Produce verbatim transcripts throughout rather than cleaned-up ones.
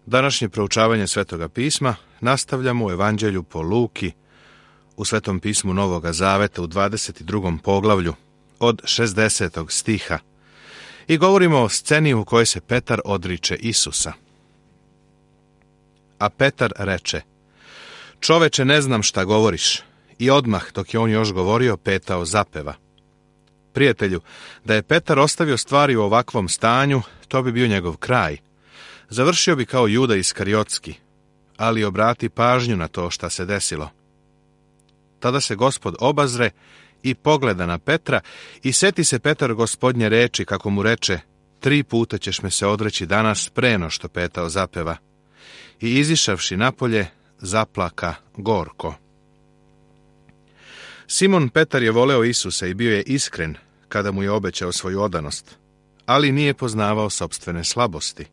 Današnje proučavanje Svetoga pisma nastavljamo u Evanđelju po Luki, u Svetom pismu Novoga Zaveta u dvadeset drugom poglavlju, od šezdesetog stiha, i govorimo o sceni u kojoj se Petar odriče Isusa. A Petar reče: Čoveče, ne znam šta govoriš. I odmah, dok je on još govorio, petao zapeva. Prijatelju, da je Petar ostavio stvari u ovakvom stanju, to bi bio njegov kraj. Završio bi kao Juda Iskariotski, ali obrati pažnju na to šta se desilo. Tada se Gospod obazre i pogleda na Petra i seti se Petar Gospodnje reči, kako mu reče: tri puta ćeš me se odreći danas preno što petao zapeva. I izišavši napolje, zaplaka gorko. Simon Petar je voleo Isusa i bio je iskren kada mu je obećao svoju odanost, ali nije poznavao sopstvene slabosti.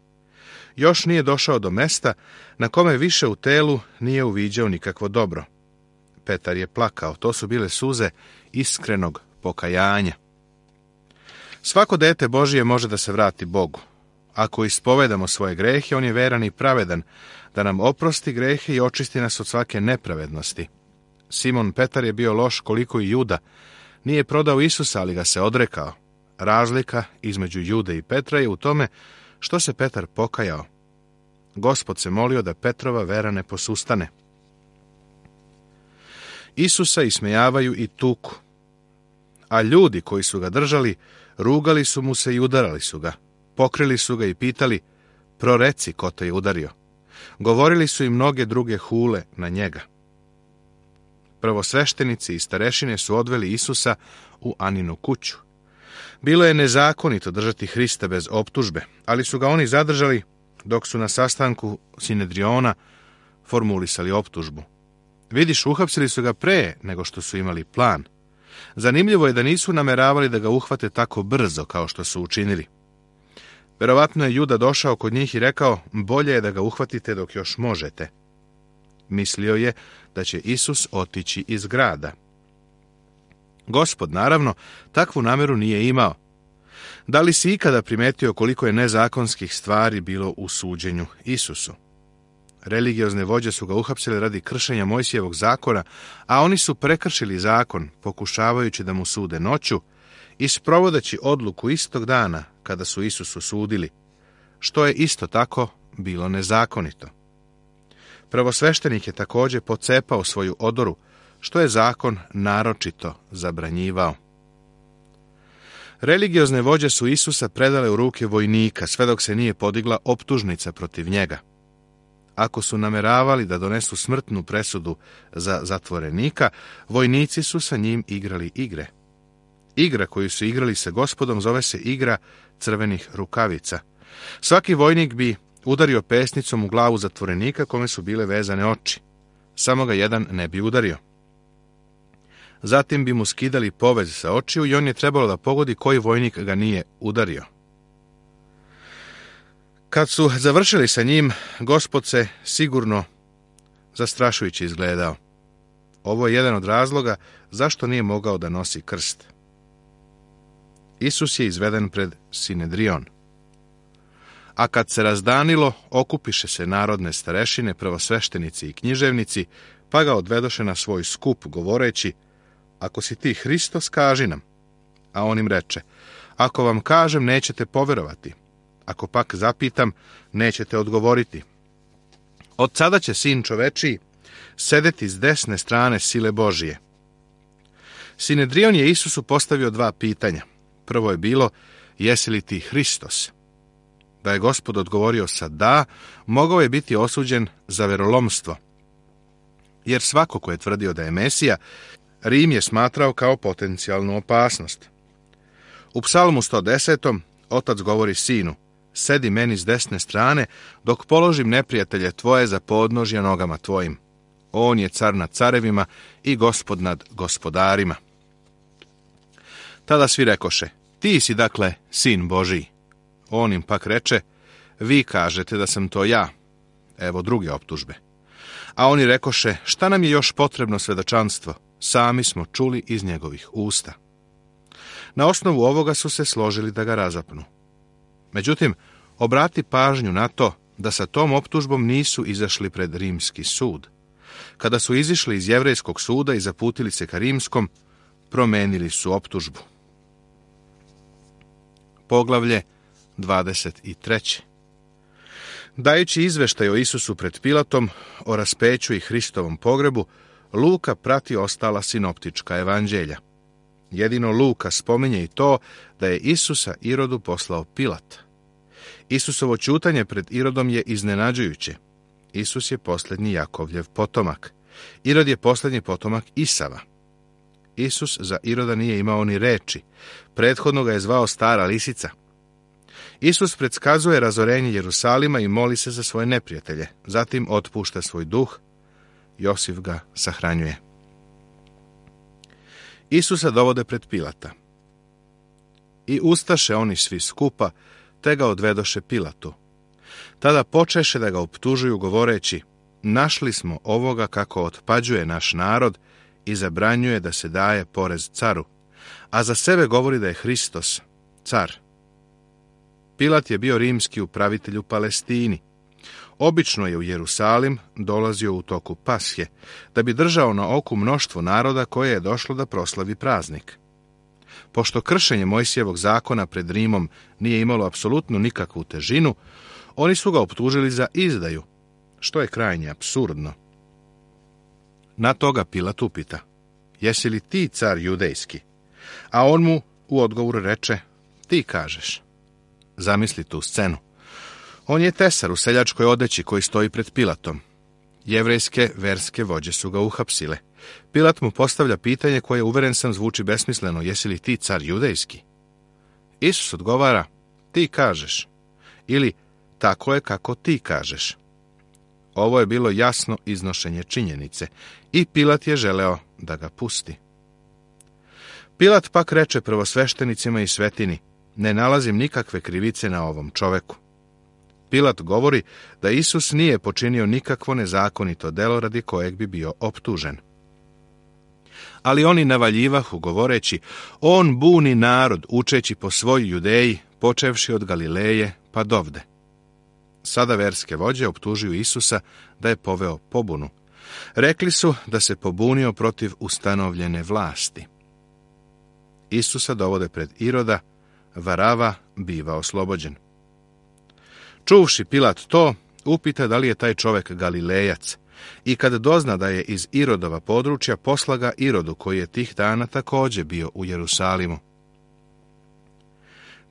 Još nije došao do mesta na kome više u telu nije uviđao nikakvo dobro. Petar je plakao, to su bile suze iskrenog pokajanja. Svako dete Božije može da se vrati Bogu. Ako ispovedamo svoje grehe, on je veran i pravedan, da nam oprosti grehe i očisti nas od svake nepravednosti. Simon Petar je bio loš koliko i Juda. Nije prodao Isusa, ali ga se odrekao. Razlika između Jude i Petra je u tome što se Petar pokajao. Gospod se molio da Petrova vera ne posustane. Isusa ismejavaju i tuku, a ljudi koji su ga držali, rugali su mu se i udarali su ga. Pokrili su ga i pitali: proreci ko te je udario. Govorili su i mnoge druge hule na njega. Prvosveštenici i starešine su odveli Isusa u Aninu kuću. Bilo je nezakonito držati Hrista bez optužbe, ali su ga oni zadržali dok su na sastanku Sinedriona formulisali optužbu. Vidiš, uhapsili su ga pre nego što su imali plan. Zanimljivo je da nisu nameravali da ga uhvate tako brzo kao što su učinili. Verovatno je Juda došao kod njih i rekao: bolje je da ga uhvatite dok još možete. Mislio je da će Isus otići iz grada. Gospod, naravno, takvu nameru nije imao. Da li si ikada primetio koliko je nezakonskih stvari bilo u suđenju Isusu? Religiozne vođe su ga uhapsile radi kršenja Mojsijevog zakona, a oni su prekršili zakon, pokušavajući da mu sude noću i sprovodeći odluku istog dana kada su Isusu sudili, što je isto tako bilo nezakonito. Prvosveštenik je također pocepao svoju odoru, što je zakon naročito zabranjivao. Religiozne vođe su Isusa predale u ruke vojnika, sve dok se nije podigla optužnica protiv njega. Ako su nameravali da donesu smrtnu presudu za zatvorenika, vojnici su sa njim igrali igre. Igra koju su igrali sa Gospodom zove se igra crvenih rukavica. Svaki vojnik bi udario pesnicom u glavu zatvorenika kome su bile vezane oči. Samo ga jedan ne bi udario. Zatim bi mu skidali povez sa očiju i on je trebalo da pogodi koji vojnik ga nije udario. Kad su završili sa njim, Gospod se sigurno zastrašujući izgledao. Ovo je jedan od razloga zašto nije mogao da nosi krst. Isus je izveden pred Sinedrion. A kad se razdanilo, okupiše se narodne starešine, prvosveštenici i književnici, pa ga odvedoše na svoj skup, govoreći: ako si ti Hristos, kaži nam. A on im reče: ako vam kažem, nećete poverovati. Ako pak zapitam, nećete odgovoriti. Od sada će Sin čovečiji sedeti s desne strane sile Božije. Sinedrion je Isusu postavio dva pitanja. Prvo je bilo: jesi li ti Hristos? Da je Gospod odgovorio sa da, mogao je biti osuđen za verolomstvo. Jer svako ko je tvrdio da je Mesija, Rim je smatrao kao potencijalnu opasnost. U Psalmu sto desetom otac govori sinu: sedi meni s desne strane, dok položim neprijatelje tvoje za podnožja nogama tvojim. On je car nad carevima i gospod nad gospodarima. Tada svi rekoše: ti si dakle sin Božiji. On im pak reče: vi kažete da sam to ja. Evo druge optužbe. A oni rekoše: šta nam je još potrebno svedočanstvo? Sami smo čuli iz njegovih usta. Na osnovu ovoga su se složili da ga razapnu. Međutim, obrati pažnju na to da sa tom optužbom nisu izašli pred rimski sud. Kada su izišli iz jevrejskog suda i zaputili se ka rimskom, promenili su optužbu. Poglavlje dvadeset treće. Dajući izveštaj o Isusu pred Pilatom, o raspeću i Hristovom pogrebu, Luka prati ostala sinoptička evanđelja. Jedino Luka spominje i to da je Isusa Irodu poslao Pilat. Isusovo ćutanje pred Irodom je iznenađujuće. Isus je posljednji Jakovljev potomak. Irod je posljednji potomak Isava. Isus za Iroda nije imao ni reči. Prethodno ga je zvao stara lisica. Isus predskazuje razorenje Jerusalima i moli se za svoje neprijatelje. Zatim otpušta svoj duh. Josif ga sahranjuje. Isusa dovode pred Pilata. I ustaše oni svi skupa, te ga odvedoše Pilatu. Tada počeše da ga optužuju govoreći: našli smo ovoga kako otpađuje naš narod i zabranjuje da se daje porez caru, a za sebe govori da je Hristos, car. Pilat je bio rimski upravitelj u Palestini. Obično je u Jerusalim dolazio u toku Pashe, da bi držao na oku mnoštvo naroda koje je došlo da proslavi praznik. Pošto kršenje Mojsijevog zakona pred Rimom nije imalo apsolutno nikakvu težinu, oni su ga optužili za izdaju, što je krajnje apsurdno. Na toga Pilat upita: jesi li ti car judejski? A on mu u odgovoru reče: ti kažeš. Zamisli tu scenu. On je tesar u seljačkoj odeći koji stoji pred Pilatom. Jevrejske verske vođe su ga uhapsile. Pilat mu postavlja pitanje koje, uveren sam, zvuči besmisleno: jesi li ti car judejski? Isus odgovara: ti kažeš. Ili tako je kako ti kažeš. Ovo je bilo jasno iznošenje činjenice i Pilat je želeo da ga pusti. Pilat pak reče prvosveštenicima i svetini: ne nalazim nikakve krivice na ovom čoveku. Pilat govori da Isus nije počinio nikakvo nezakonito delo radi kojeg bi bio optužen. Ali oni navaljivahu govoreći: on buni narod, učeći po svoj Judeji, počevši od Galileje pa dovde. Sada verske vođe optužuju Isusa da je poveo pobunu. Rekli su da se pobunio protiv ustanovljene vlasti. Isusa dovode pred Iroda, Varava biva oslobođen. Čuvši Pilat to, upita da li je taj čovjek Galilejac, i kad dozna da je iz Irodova područja, posla ga Irodu, koji je tih dana također bio u Jerusalimu.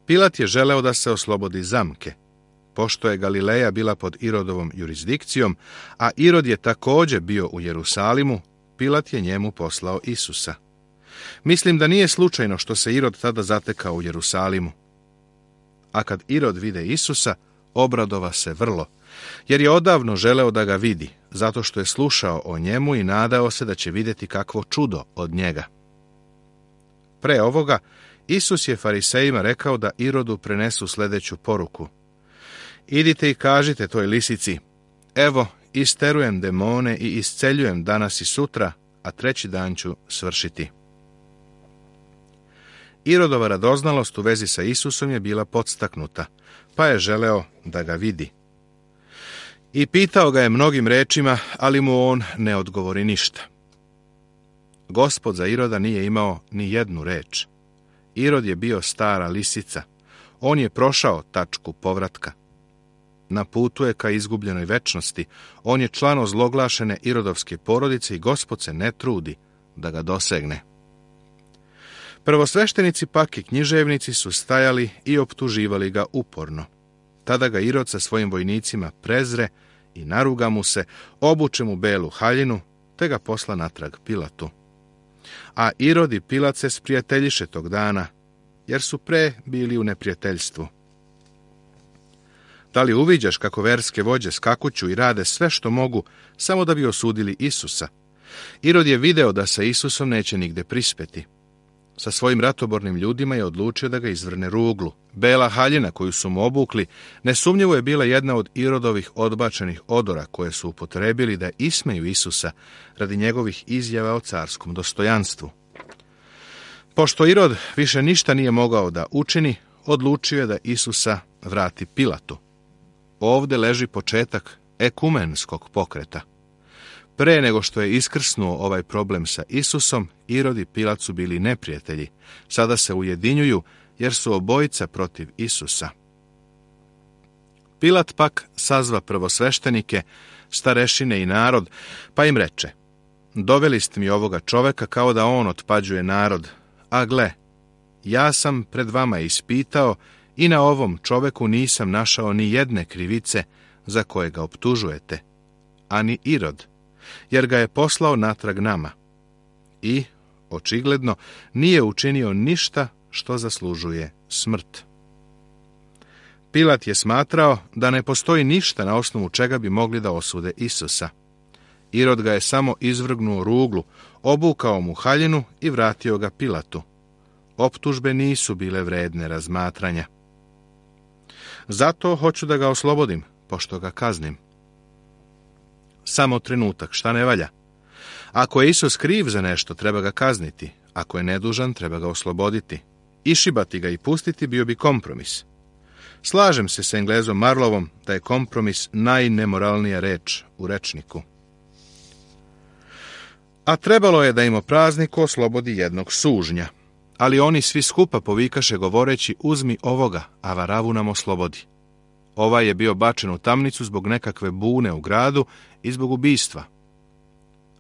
Pilat je želeo da se oslobodi zamke. Pošto je Galileja bila pod Irodovom jurisdikcijom, a Irod je također bio u Jerusalimu, Pilat je njemu poslao Isusa. Mislim da nije slučajno što se Irod tada zatekao u Jerusalimu. A kad Irod vide Isusa, obradova se vrlo, jer je odavno želeo da ga vidi, zato što je slušao o njemu i nadao se da će vidjeti kakvo čudo od njega. Pre ovoga, Isus je farisejima rekao da Irodu prenesu sljedeću poruku: idite i kažite toj lisici: evo, isterujem demone i isceljujem danas i sutra, a treći dan ću svršiti. Irodova radoznalost u vezi sa Isusom je bila podstaknuta, pa je želeo da ga vidi. I pitao ga je mnogim rečima, ali mu on ne odgovori ništa. Gospod za Iroda nije imao ni jednu reč. Irod je bio stara lisica. On je prošao tačku povratka. Na putu je ka izgubljenoj večnosti. On je član ozloglašene Irodovske porodice i Gospod se ne trudi da ga dosegne. Prvosveštenici pak i književnici su stajali i optuživali ga uporno. Tada ga Irod sa svojim vojnicima prezre i naruga mu se, obuče mu belu haljinu, te ga posla natrag Pilatu. A Irod i Pilat se sprijateljiše tog dana, jer su pre bili u neprijateljstvu. Da li uviđaš kako verske vođe skakuću i rade sve što mogu, samo da bi osudili Isusa? Irod je video da sa Isusom neće nigde prispeti. Sa svojim ratobornim ljudima je odlučio da ga izvrne ruglu. Bela haljina koju su mu obukli nesumnjivo je bila jedna od Irodovih odbačenih odora koje su upotrebili da ismeju Isusa radi njegovih izjava o carskom dostojanstvu. Pošto Irod više ništa nije mogao da učini, odlučio je da Isusa vrati Pilatu. ovdje leži početak ekumenskog pokreta. Pre nego što je iskrsnuo ovaj problem sa Isusom, Irod i Pilat su bili neprijatelji. Sada se ujedinjuju jer su obojica protiv Isusa. Pilat pak sazva prvosveštenike, starešine i narod, pa im reče: doveli ste mi ovoga čoveka kao da on otpađuje narod, a gle, ja sam pred vama ispitao i na ovom čoveku nisam našao ni jedne krivice za koje ga optužujete, ani Irod, jer ga je poslao natrag nama. I, očigledno, nije učinio ništa što zaslužuje smrt. Pilat je smatrao da ne postoji ništa na osnovu čega bi mogli da osude Isusa. Irod ga je samo izvrgnuo ruglu, obukao mu haljinu i vratio ga Pilatu. Optužbe nisu bile vredne razmatranja. Zato hoću da ga oslobodim, pošto ga kaznim. Samo trenutak, šta ne valja? Ako je Isus kriv za nešto, treba ga kazniti. Ako je nedužan, treba ga osloboditi. Išibati ga i pustiti bio bi kompromis. Slažem se s Englezom Marlovom da je kompromis najnemoralnija reč u rečniku. A trebalo je da im o prazniku oslobodi jednog sužnja. Ali oni svi skupa povikaše govoreći: uzmi ovoga, a Varavu nam oslobodi. Ovaj je bio bačen u tamnicu zbog nekakve bune u gradu i zbog ubistva.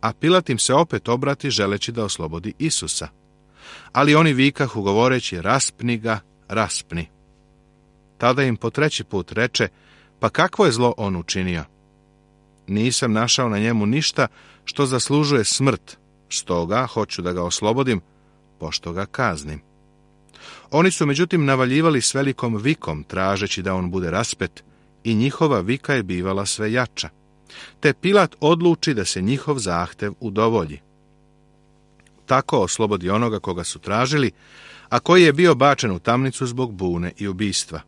A Pilat im se opet obrati želeći da oslobodi Isusa. Ali oni vikahu govoreći: raspni ga, raspni. Tada im po treći put reče: pa kakvo je zlo on učinio? Nisam našao na njemu ništa što zaslužuje smrt, stoga hoću da ga oslobodim, pošto ga kaznim. Oni su međutim navaljivali s velikom vikom, tražeći da on bude raspet, i njihova vika je bivala sve jača. Te Pilat odluči da se njihov zahtev udovolji. Tako oslobodi onoga koga su tražili, a koji je bio bačen u tamnicu zbog bune i ubistva.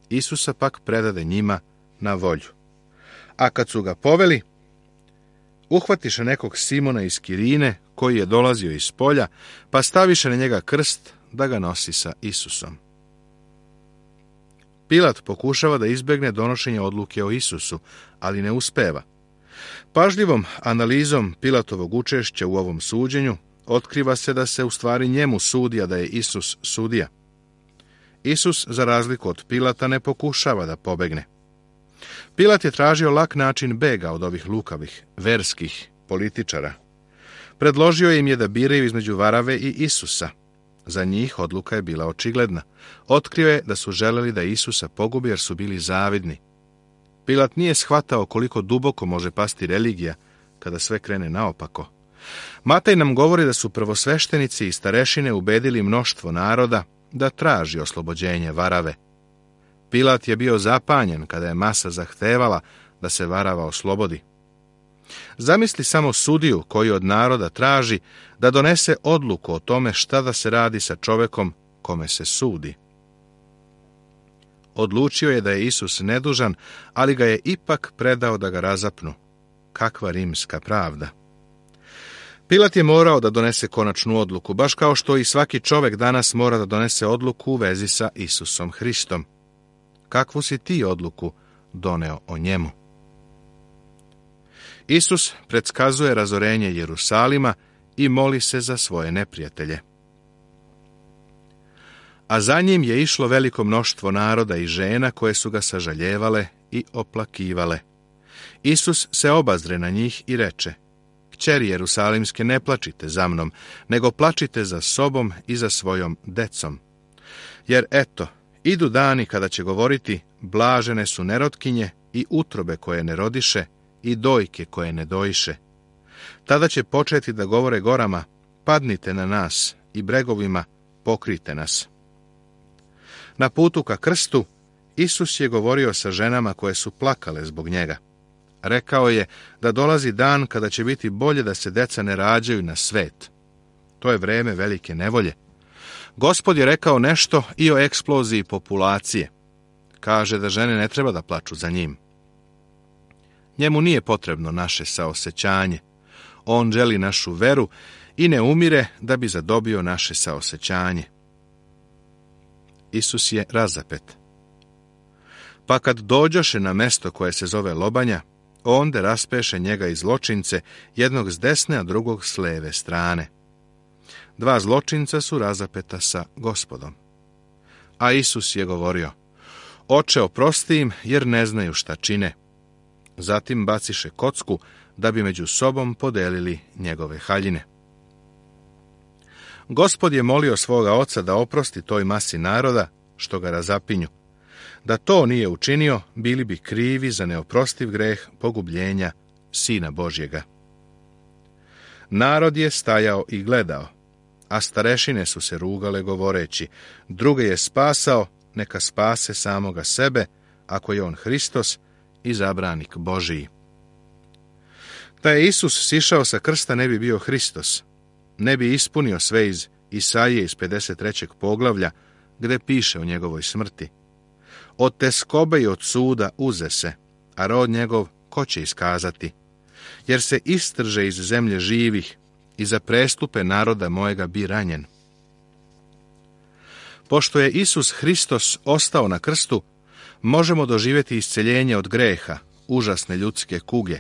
Isusa pak predade njima na volju. A kad su ga poveli, uhvatiše nekog Simona iz Kirine, koji je dolazio iz polja, pa staviše na njega krst da ga nosi sa Isusom. Pilat pokušava da izbegne donošenje odluke o Isusu, ali ne uspeva. Pažljivom analizom Pilatovog učešća u ovom suđenju otkriva se da se u stvari njemu sudi, a da je Isus sudija. Isus, za razliku od Pilata, ne pokušava da pobegne. Pilat je tražio lak način bega od ovih lukavih, verskih političara. Predložio im je da biraju između Varave i Isusa. Za njih odluka je bila očigledna. Otkrio je da su želeli da Isusa pogubi jer su bili zavidni. Pilat nije shvatao koliko duboko može pasti religija kada sve krene naopako. Matej nam govori da su prvosveštenici i starešine ubedili mnoštvo naroda da traži oslobođenje Varave. Pilat je bio zapanjen kada je masa zahtevala da se Varava oslobodi. Zamisli samo sudiju koji od naroda traži da donese odluku o tome šta da se radi sa čovekom kome se sudi. Odlučio je da je Isus nedužan, ali ga je ipak predao da ga razapnu. Kakva rimska pravda! Pilat je morao da donese konačnu odluku, baš kao što i svaki čovek danas mora da donese odluku u vezi sa Isusom Hristom. Kakvu si ti odluku doneo o njemu? Isus predskazuje razorenje Jerusalima i moli se za svoje neprijatelje. A za njim je išlo veliko mnoštvo naroda i žena koje su ga sažaljevale i oplakivale. Isus se obazre na njih i reče: Kćeri Jerusalimske, ne plačite za mnom, nego plačite za sobom i za svojom decom. Jer eto, idu dani kada će govoriti: blažene su nerotkinje i utrobe koje ne rodiše i dojke koje ne dojiše. Tada će početi da govore gorama: padnite na nas, i bregovima: pokrite nas. Na putu ka krstu Isus je govorio sa ženama koje su plakale zbog njega. Rekao je da dolazi dan kada će biti bolje da se deca ne rađaju na svet. To je vreme velike nevolje. Gospod je rekao nešto i o eksploziji populacije. Kaže da žene ne treba da plaču za njim. Njemu nije potrebno naše saosećanje. On želi našu veru i ne umire da bi zadobio naše saosećanje. Isus je razapet. Pa kad dođoše na mesto koje se zove Lobanja, onda raspeše njega i zločince, jednog s desne, a drugog s leve strane. Dva zločinca su razapeta sa Gospodom. A Isus je govorio: Oče, oprosti im, jer ne znaju šta čine. Zatim baciše kocku, da bi među sobom podelili njegove haljine. Gospod je molio svoga oca da oprosti toj masi naroda, što ga razapinju. Da to nije učinio, bili bi krivi za neoprostiv greh pogubljenja Sina Božjega. Narod je stajao i gledao, a starešine su se rugale govoreći: druge je spasao, neka spase samoga sebe, ako je on Hristos, izabranik Božiji. Da je Isus sišao sa krsta, ne bi bio Hristos, ne bi ispunio sve iz Isaije iz pedeset trećeg poglavlja, gde piše o njegovoj smrti: od teskobe i od suda uze se, a rod njegov ko će iskazati? Jer se istrže iz zemlje živih i za prestupe naroda mojega bi ranjen. Pošto je Isus Hristos ostao na krstu, možemo doživjeti isceljenje od greha, užasne ljudske kuge.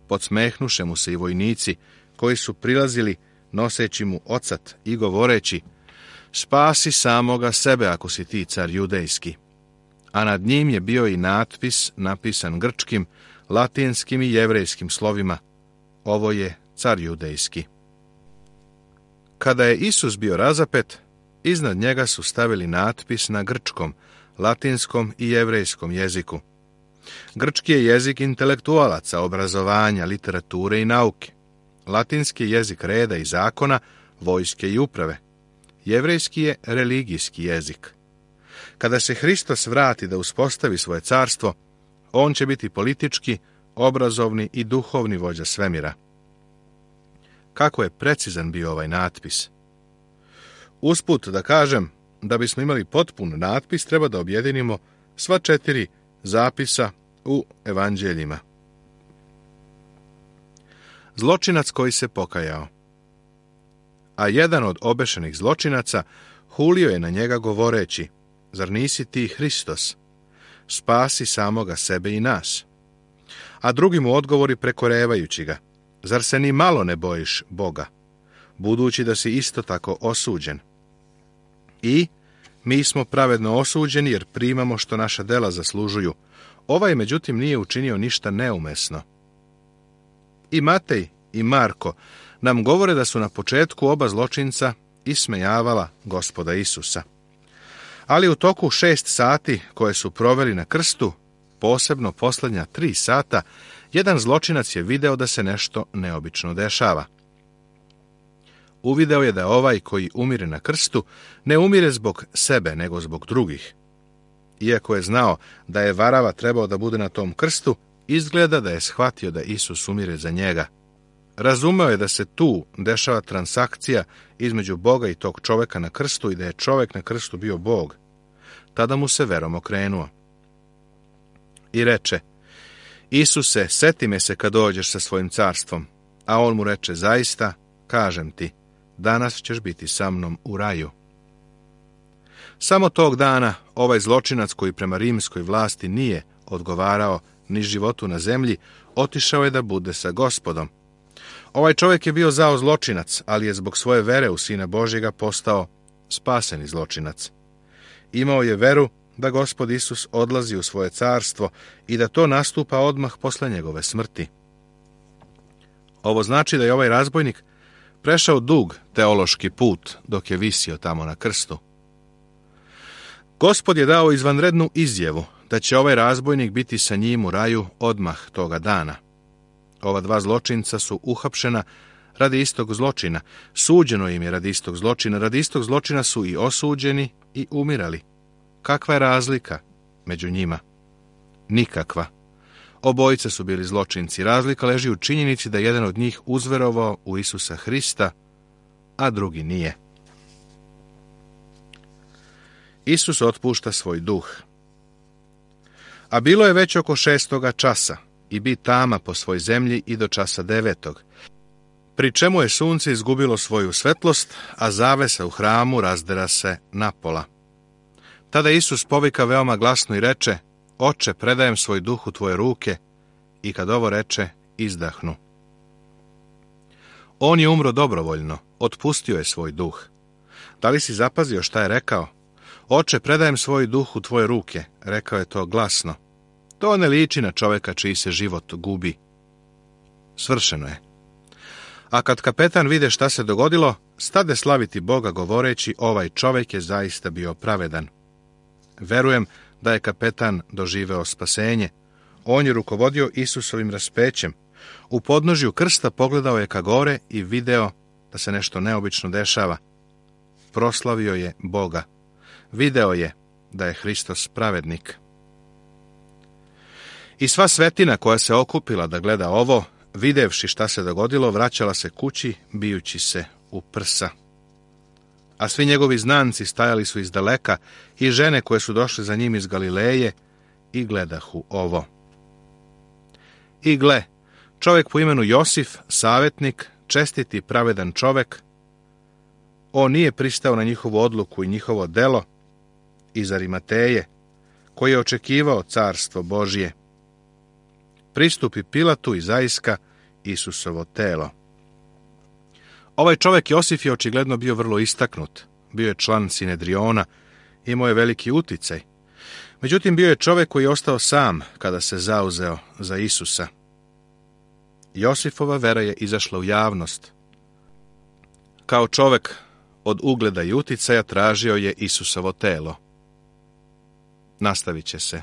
Podsmehnuše mu se i vojnici, koji su prilazili noseći mu ocat i govoreći: spasi samoga sebe ako si ti car judejski. A nad njim je bio i natpis napisan grčkim, latinskim i jevrejskim slovima: ovo je car judejski. Kada je Isus bio razapet, iznad njega su stavili natpis na grčkom, latinskom i jevrejskom jeziku. Grčki je jezik intelektualaca, obrazovanja, literature i nauke. Latinski je jezik reda i zakona, vojske i uprave. Jevrejski je religijski jezik. Kada se Hristos vrati da uspostavi svoje carstvo, on će biti politički, obrazovni i duhovni vođa svemira. Kako je precizan bio ovaj natpis. Usput da kažem, da bismo imali potpun natpis, treba da objedinimo sva četiri zapisa u evanđeljima. Zločinac koji se pokajao. A jedan od obešenih zločinaca hulio je na njega govoreći: zar nisi ti Hristos? Spasi samoga sebe i nas. A drugi mu odgovori prekorevajući ga: zar se ni malo ne bojiš Boga, budući da si isto tako osuđen? I mi smo pravedno osuđeni jer primamo što naša dela zaslužuju. Ovaj međutim nije učinio ništa neumesno. I Matej i Marko nam govore da su na početku oba zločinca ismejavala Gospoda Isusa. Ali u toku šest sati koje su proveli na krstu, posebno posljednja tri sata, jedan zločinac je video da se nešto neobično dešava. Uvideo je da ovaj koji umire na krstu ne umire zbog sebe, nego zbog drugih. Iako je znao da je varava trebao da bude na tom krstu, izgleda da je shvatio da Isus umire za njega. Razumeo je da se tu dešava transakcija između Boga i tog čoveka na krstu i da je čovek na krstu bio Bog. Tada mu se verom okrenuo. I reče: Isuse, seti me se kad dođeš sa svojim carstvom. A on mu reče: zaista, kažem ti, danas ćeš biti sa mnom u raju. Samo tog dana ovaj zločinac koji prema rimskoj vlasti nije odgovarao ni životu na zemlji, otišao je da bude sa Gospodom. Ovaj čovjek je bio zao zločinac, ali je zbog svoje vere u Sina Božjega postao spaseni zločinac. Imao je veru da Gospod Isus odlazi u svoje carstvo i da to nastupa odmah posle njegove smrti. Ovo znači da je ovaj razbojnik prešao dug teološki put dok je visio tamo na krstu. Gospod je dao izvanrednu izjavu da će ovaj razbojnik biti sa njim u raju odmah toga dana. Ova dva zločinca su uhapšena radi istog zločina, suđeno im je radi istog zločina, radi istog zločina su i osuđeni i umirali. Kakva je razlika među njima? Nikakva. Obojica su bili zločinci. Razlika leži u činjenici da jedan od njih uzverovao u Isusa Hrista, a drugi nije. Isus otpušta svoj duh. A bilo je već oko šestoga časa i bi tama po svoj zemlji i do časa devetog, pri čemu je sunce izgubilo svoju svetlost, a zavesa u hramu razdera se napola. Tada Isus povika veoma glasno i reče: Oče, predajem svoj duh u tvoje ruke, i kad ovo reče, izdahnu. On je umro dobrovoljno, otpustio je svoj duh. Da li si zapazio šta je rekao? Oče, predajem svoj duh u tvoje ruke, rekao je to glasno. To ne liči na čoveka čiji se život gubi. Svršeno je. A kad kapetan vide šta se dogodilo, stade slaviti Boga govoreći: ovaj čovjek je zaista bio pravedan. Verujem da je kapetan doživeo spasenje. On je rukovodio Isusovim raspećem. U podnožju krsta pogledao je ka gore i video da se nešto neobično dešava. Proslavio je Boga. Video je da je Hristos pravednik. I sva svetina koja se okupila da gleda ovo, videvši šta se dogodilo, vraćala se kući, bijući se u prsa. A svi njegovi znanci stajali su iz daleka i žene koje su došle za njim iz Galileje i gledahu ovo. I gle, čovjek po imenu Josif, savjetnik, čestit i pravedan čovjek, on nije pristao na njihovu odluku i njihovo delo iz Arimateje, koji je očekivao carstvo Božje. Pristupi Pilatu i zaiska Isusovo telo. Ovaj čovjek Josif je očigledno bio vrlo istaknut. Bio je član Sinedriona, imao je veliki uticaj. Međutim, bio je čovjek koji je ostao sam kada se zauzeo za Isusa. Josifova vera je izašla u javnost. Kao čovjek od ugleda i uticaja tražio je Isusovo telo. Nastavit će se.